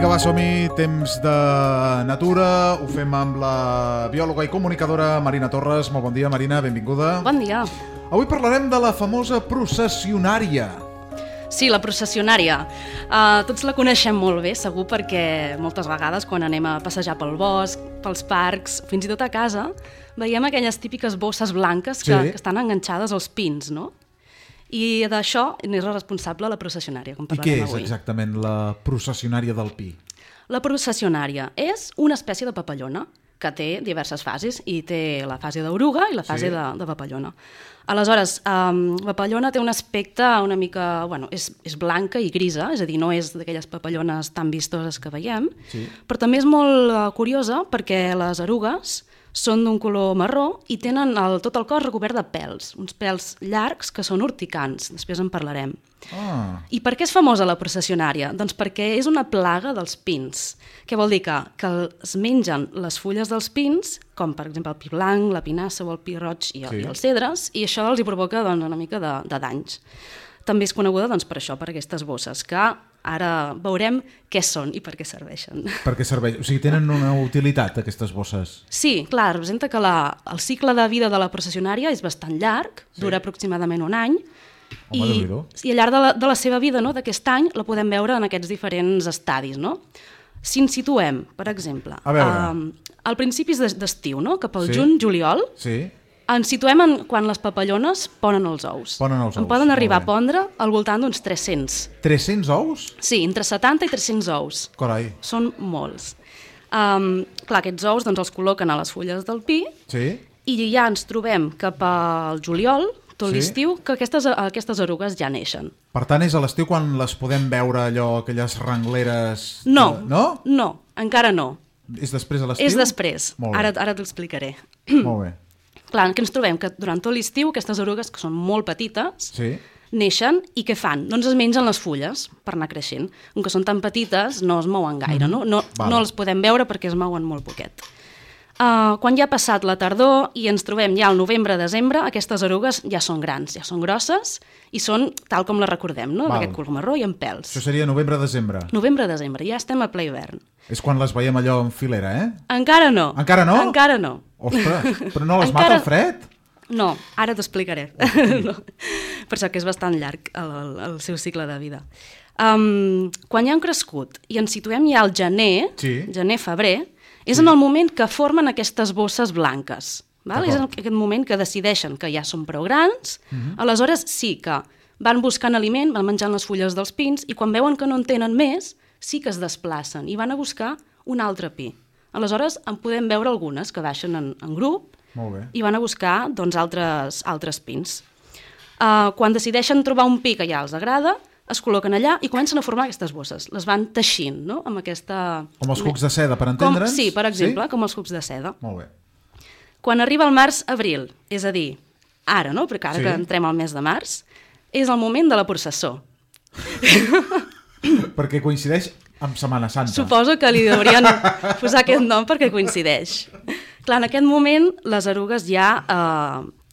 Vinga, va, som-hi, temps de natura, ho fem amb la biòloga i comunicadora Marina Torres. Molt bon dia, Marina, benvinguda. Bon dia. Avui parlarem de la famosa processionària. Sí, la processionària. Tots la coneixem molt bé, segur, perquè moltes vegades quan anem a passejar pel bosc, pels parcs, fins i tot a casa, veiem aquelles típiques bosses blanques que estan enganxades als pins, no? I d'això n'és la responsable la processionària, com parlarem avui. I què és exactament la processionària del pi? La processionària és una espècie de papallona que té diverses fases, i té la fase d'oruga i la fase de papallona. Aleshores, la papallona té un aspecte una mica... Bueno, és blanca i grisa, és a dir, no és d'aquelles papallones tan vistoses que veiem, però també és molt curiosa perquè les erugues són d'un color marró i tenen tot el cos recobert de pèls, uns pèls llargs que són urticants, després en parlarem. I per què és famosa la processionària? Doncs perquè és una plaga dels pins. Què vol dir? Que es mengen les fulles dels pins, com per exemple el pi blanc, la pinassa o el pi roig i els cedres, i això els hi provoca una mica de danys. També és coneguda per això, per aquestes bosses, que ara veurem què són i per què serveixen. Per què serveixen? O sigui, tenen una utilitat, aquestes bosses? Sí, clar, representa que el cicle de vida de la processionària és bastant llarg, dura aproximadament un any, i al llarg de la seva vida, d'aquest any, la podem veure en aquests diferents estadis. Si ens situem, per exemple, al principi d'estiu, cap al juny-juliol, ens situem quan les papallones ponen els ous. En poden arribar a pondre al voltant d'uns 300. 300 ous? Sí, entre 70 i 300 ous. Carai. Són molts. Clar, aquests ous els col·loquen a les fulles del pi i ja ens trobem cap al juliol, tot l'estiu, que aquestes erugues ja neixen. Per tant, és a l'estiu quan les podem veure allò, aquelles rengleres... No, encara no. És després de l'estiu? És després, ara t'ho explicaré. Molt bé. Clar, que ens trobem que durant tot l'estiu aquestes erugues, que són molt petites, neixen i què fan? Doncs es mengen les fulles per anar creixent. Com que són tan petites, no es mouen gaire, no les podem veure perquè es mouen molt poquet. Quan ja ha passat la tardor i ens trobem ja al novembre-desembre, aquestes erugues ja són grans, ja són grosses i són tal com les recordem, d'aquest color marró i amb pèls. Això seria novembre-desembre? Novembre-desembre, ja estem a ple hivern. És quan les veiem allò en filera, Encara no. Encara no? Encara no. Ostres, però no les mata el fred? No, ara t'explicaré. Per això que és bastant llarg el seu cicle de vida. Quan ja han crescut i ens situem ja al gener-febrer, és en el moment que formen aquestes bosses blanques. És en aquest moment que decideixen que ja són prou grans, aleshores sí que van buscant aliment, van menjant les fulles dels pins i quan veuen que no en tenen més, sí que es desplacen i van a buscar un altre pi. Aleshores en podem veure algunes que baixen en grup i van a buscar altres pins. Quan decideixen trobar un pi que ja els agrada, es col·loquen allà i comencen a formar aquestes bosses. Les van teixint, amb aquesta... Com els cucs de seda, per entendre'ns? Sí, per exemple, com els cucs de seda. Molt bé. Quan arriba el març-abril, és a dir, ara, perquè ara que entrem al mes de març, és el moment de la processó. Perquè coincideix amb Setmana Santa. Suposo que li haurien posar aquest nom perquè coincideix. Clar, en aquest moment les erugues ja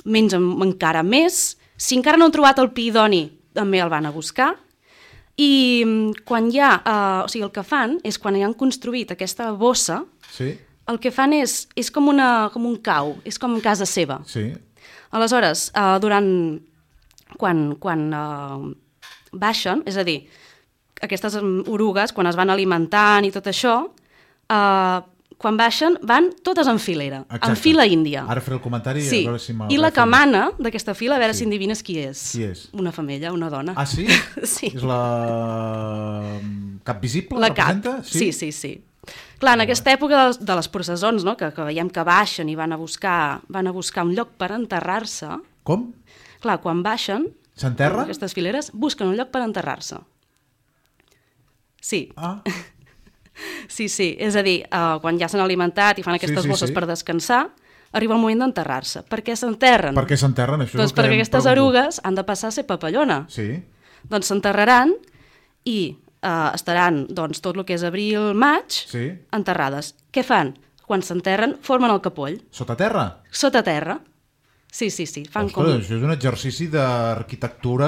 mengen encara més. Si encara no han trobat el pi idoni, també el van a buscar. I quan el que fan és, quan ja han construït aquesta bossa, el que fan és com un cau, és com casa seva. Aleshores, quan baixen, és a dir, aquestes orugues, quan es van alimentant i tot això, quan baixen van totes en filera, en fila índia. Ara faré el comentari a veure si m'ha... I la que mana d'aquesta fila, a veure si endevines qui és. Qui és? Una femella, una dona. Ah, sí? Sí. És la cap visible? La cap, sí. Clar, en aquesta època de les processons, que veiem que baixen i van a buscar un lloc per enterrar-se... Com? Clar, quan baixen... S'enterren? Aquestes fileres busquen un lloc per enterrar-se. Sí. Ah. Sí, és a dir, quan ja s'han alimentat i fan aquestes bosses per descansar, arriba el moment d'enterrar-se. Per què s'enterren? Per què s'enterren? Doncs perquè aquestes erugues han de passar a ser papallona. Sí. Doncs s'enterraran i estaran tot el que és abril-maig enterrades. Què fan? Quan s'enterren, formen el capoll. Sota terra? Sota terra. Sí, fan com... Ostres, això és un exercici d'arquitectura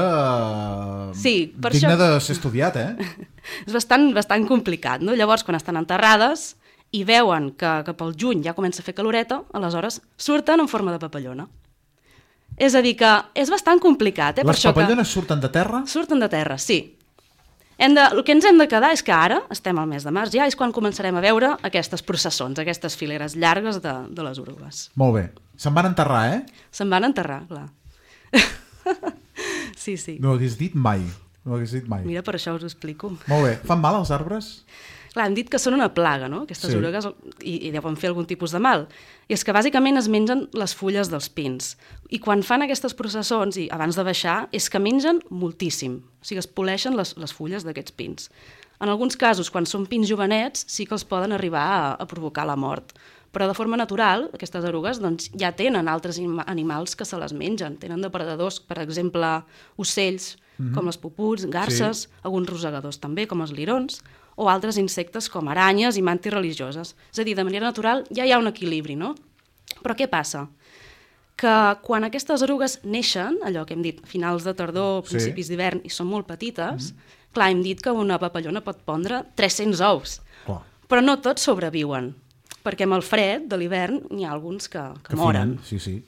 per digne això... de ser estudiat, És bastant complicat, no? Llavors, quan estan enterrades i veuen que pel juny ja comença a fer caloreta, aleshores surten en forma de papallona. És a dir, que és bastant complicat. Les papallones surten de terra? Surten de terra, sí. El que ens hem de quedar és que ara, estem al mes de març ja, és quan començarem a veure aquestes processons, aquestes fileres llargues de les orugues. Molt bé. Se'n van enterrar, Se'n van enterrar, clar. Sí. No ho hagués dit mai. Mira, per això us ho explico. Molt bé. Fan mal els arbres? Clar, hem dit que són una plaga, no?, aquestes orugues, i deuen fer algun tipus de mal. I és que bàsicament es mengen les fulles dels pins. I quan fan aquestes processons, i abans de baixar, és que mengen moltíssim. O sigui, es poleixen les fulles d'aquests pins. En alguns casos, quan són pins jovenets, sí que els poden arribar a provocar la mort. Però de forma natural, aquestes erugues doncs, ja tenen altres animals que se les mengen. Tenen depredadors, per exemple, ocells, com les puputs, garses, alguns rosegadors també, com els lirons, o altres insectes com aranyes i mantis religioses. És a dir, de manera natural ja hi ha un equilibri, no? Però què passa? Que quan aquestes erugues neixen, allò que hem dit, finals de tardor, principis d'hivern, i són molt petites, clar, hem dit que una papallona pot pondre 300 ous. Però no tots sobreviuen, perquè amb el fred de l'hivern n'hi ha alguns que moren. Sí.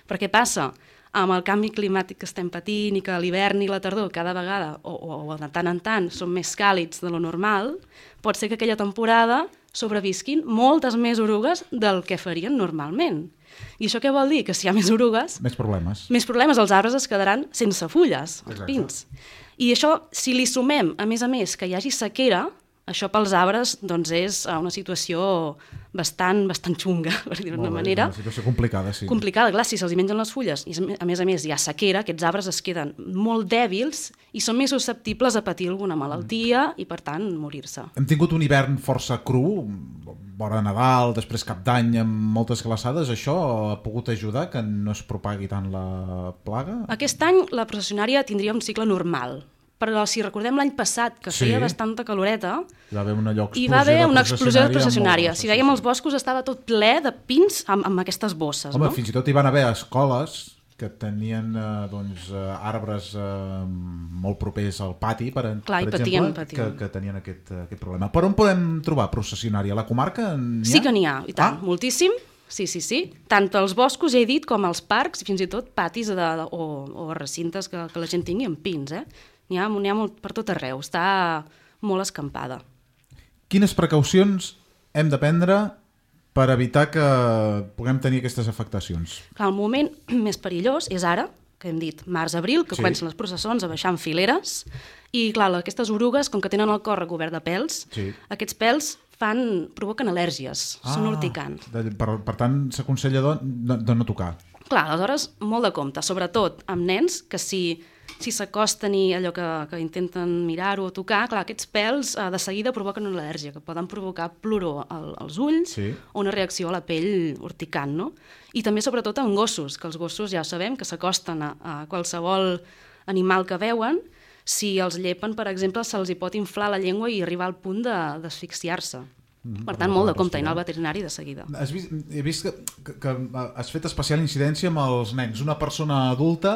Però què passa? Amb el canvi climàtic que estem patint i que l'hivern i la tardor cada vegada, o de tant en tant, són més càlids de lo normal, pot ser que aquella temporada sobrevisquin moltes més orugues del que farien normalment. I això què vol dir? Que si hi ha més orugues... Més problemes. Més problemes, els arbres es quedaran sense fulles, els pins. I això, si li sumem, a més, que hi hagi sequera, això pels arbres doncs, és una situació bastant xunga, per dir-ho d'una manera. Una situació complicada, sí. Complicada, clar, si se'ls mengen les fulles i a més hi ha sequera, aquests arbres es queden molt dèbils i són més susceptibles a patir alguna malaltia i, per tant, morir-se. Hem tingut un hivern força cru, vora Nadal, després Cap d'Any, amb moltes glaçades. Això ha pogut ajudar que no es propagui tant la plaga? Aquest any la processionària tindria un cicle normal, però si recordem l'any passat, que feia bastanta caloreta, hi va haver una explosió de processionària. Si veiem els boscos, estava tot ple de pins amb aquestes bosses. Home, fins i tot hi van haver escoles que tenien arbres molt propers al pati, per exemple, que tenien aquest problema. Per on podem trobar processionària? A la comarca n'hi ha? Sí que n'hi ha, i tant, moltíssim. Sí. Tant als boscos, ja he dit, com als parcs, i fins i tot patis o recintes que la gent tingui amb pins, N'hi ha molt per tot arreu, està molt escampada. Quines precaucions hem de prendre per evitar que puguem tenir aquestes afectacions? Clar, el moment més perillós és ara, que hem dit març-abril, que comencen les processons a baixar en fileres, i clar, aquestes orugues, com que tenen el cor recobert de pèls, aquests pèls provoquen al·lèrgies, són urticants. Per tant, s'aconsella de no tocar. Clar, aleshores, molt de compte, sobretot amb nens, que si s'acosten i allò que intenten mirar-ho o tocar, clar, aquests pèls de seguida provoquen una al·lèrgia, que poden provocar ploror als ulls o una reacció a la pell urticant, no? I també, sobretot, en gossos, que els gossos ja sabem que s'acosten a qualsevol animal que veuen. Si els llepen, per exemple, se'ls hi pot inflar la llengua i arribar al punt d'asfixiar-se. Per tant, molt de compte, anar al veterinari de seguida. He vist que has fet especial incidència amb els nens. Una persona adulta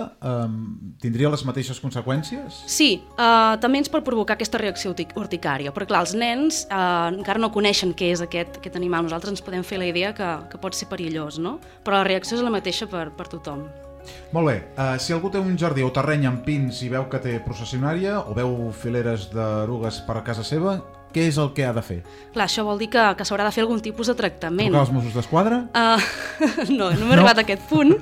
tindria les mateixes conseqüències? Sí, també ens pot provocar aquesta reacció urticària, però clar, els nens encara no coneixen què és aquest animal. Nosaltres ens podem fer la idea que pot ser perillós, no? Però la reacció és la mateixa per tothom. Molt bé, si algú té un jardí o terreny amb pins i veu que té processionària o veu fileres d'erugues per a casa seva, què és el que ha de fer? Clar, això vol dir que s'haurà de fer algun tipus de tractament. Trucar als Mossos d'Esquadra? No m'he arribat a aquest punt,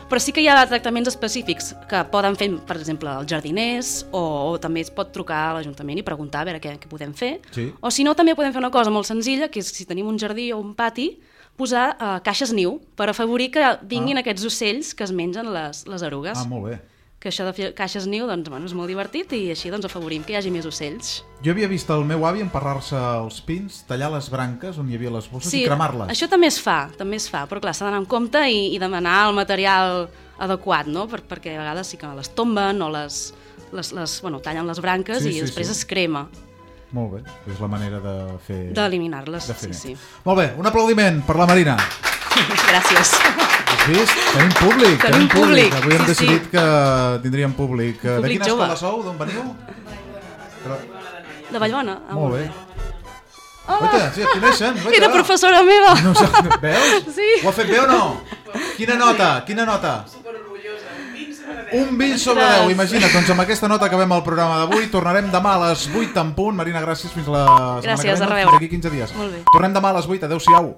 però sí que hi ha tractaments específics que poden fer, per exemple, els jardiners, o també es pot trucar a l'Ajuntament i preguntar a veure què podem fer. O si no, també podem fer una cosa molt senzilla, que és si tenim un jardí o un pati, posar caixes niu per afavorir que vinguin aquests ocells que es mengen les erugues. Molt bé. Que això de fer caixes niu és molt divertit i així afavorim que hi hagi més ocells. Jo havia vist el meu avi emparrar-se els pins, tallar les branques on hi havia les bosses i cremar-les. Això també es fa, però clar, s'ha d'anar amb compte i demanar el material adequat, no? Perquè a vegades sí que les tomben o tallen les branques i després es crema. Molt bé, és la manera de fer... D'eliminar-les, sí. Molt bé, un aplaudiment per la Marina. Gràcies. Sí, tenim públic. Tenim públic. Avui hem decidit que tindríem públic. De quina jove. escola sou? D'on veniu? De Vallbona. Molt bé. Hola. Oita, sí, et coneixen. Era professora meva. No, veus? Sí. Ho ha fet bé o no? Quina nota? Un 20 sobre 10, imagina't. Doncs amb aquesta nota acabem el programa d'avui. Tornarem demà a les 8 en punt. Marina, gràcies. Fins la setmana que ve. Gràcies, a reveure. Fins d'aquí 15 dies. Molt bé. Tornem demà a les 8. Adéu-siau.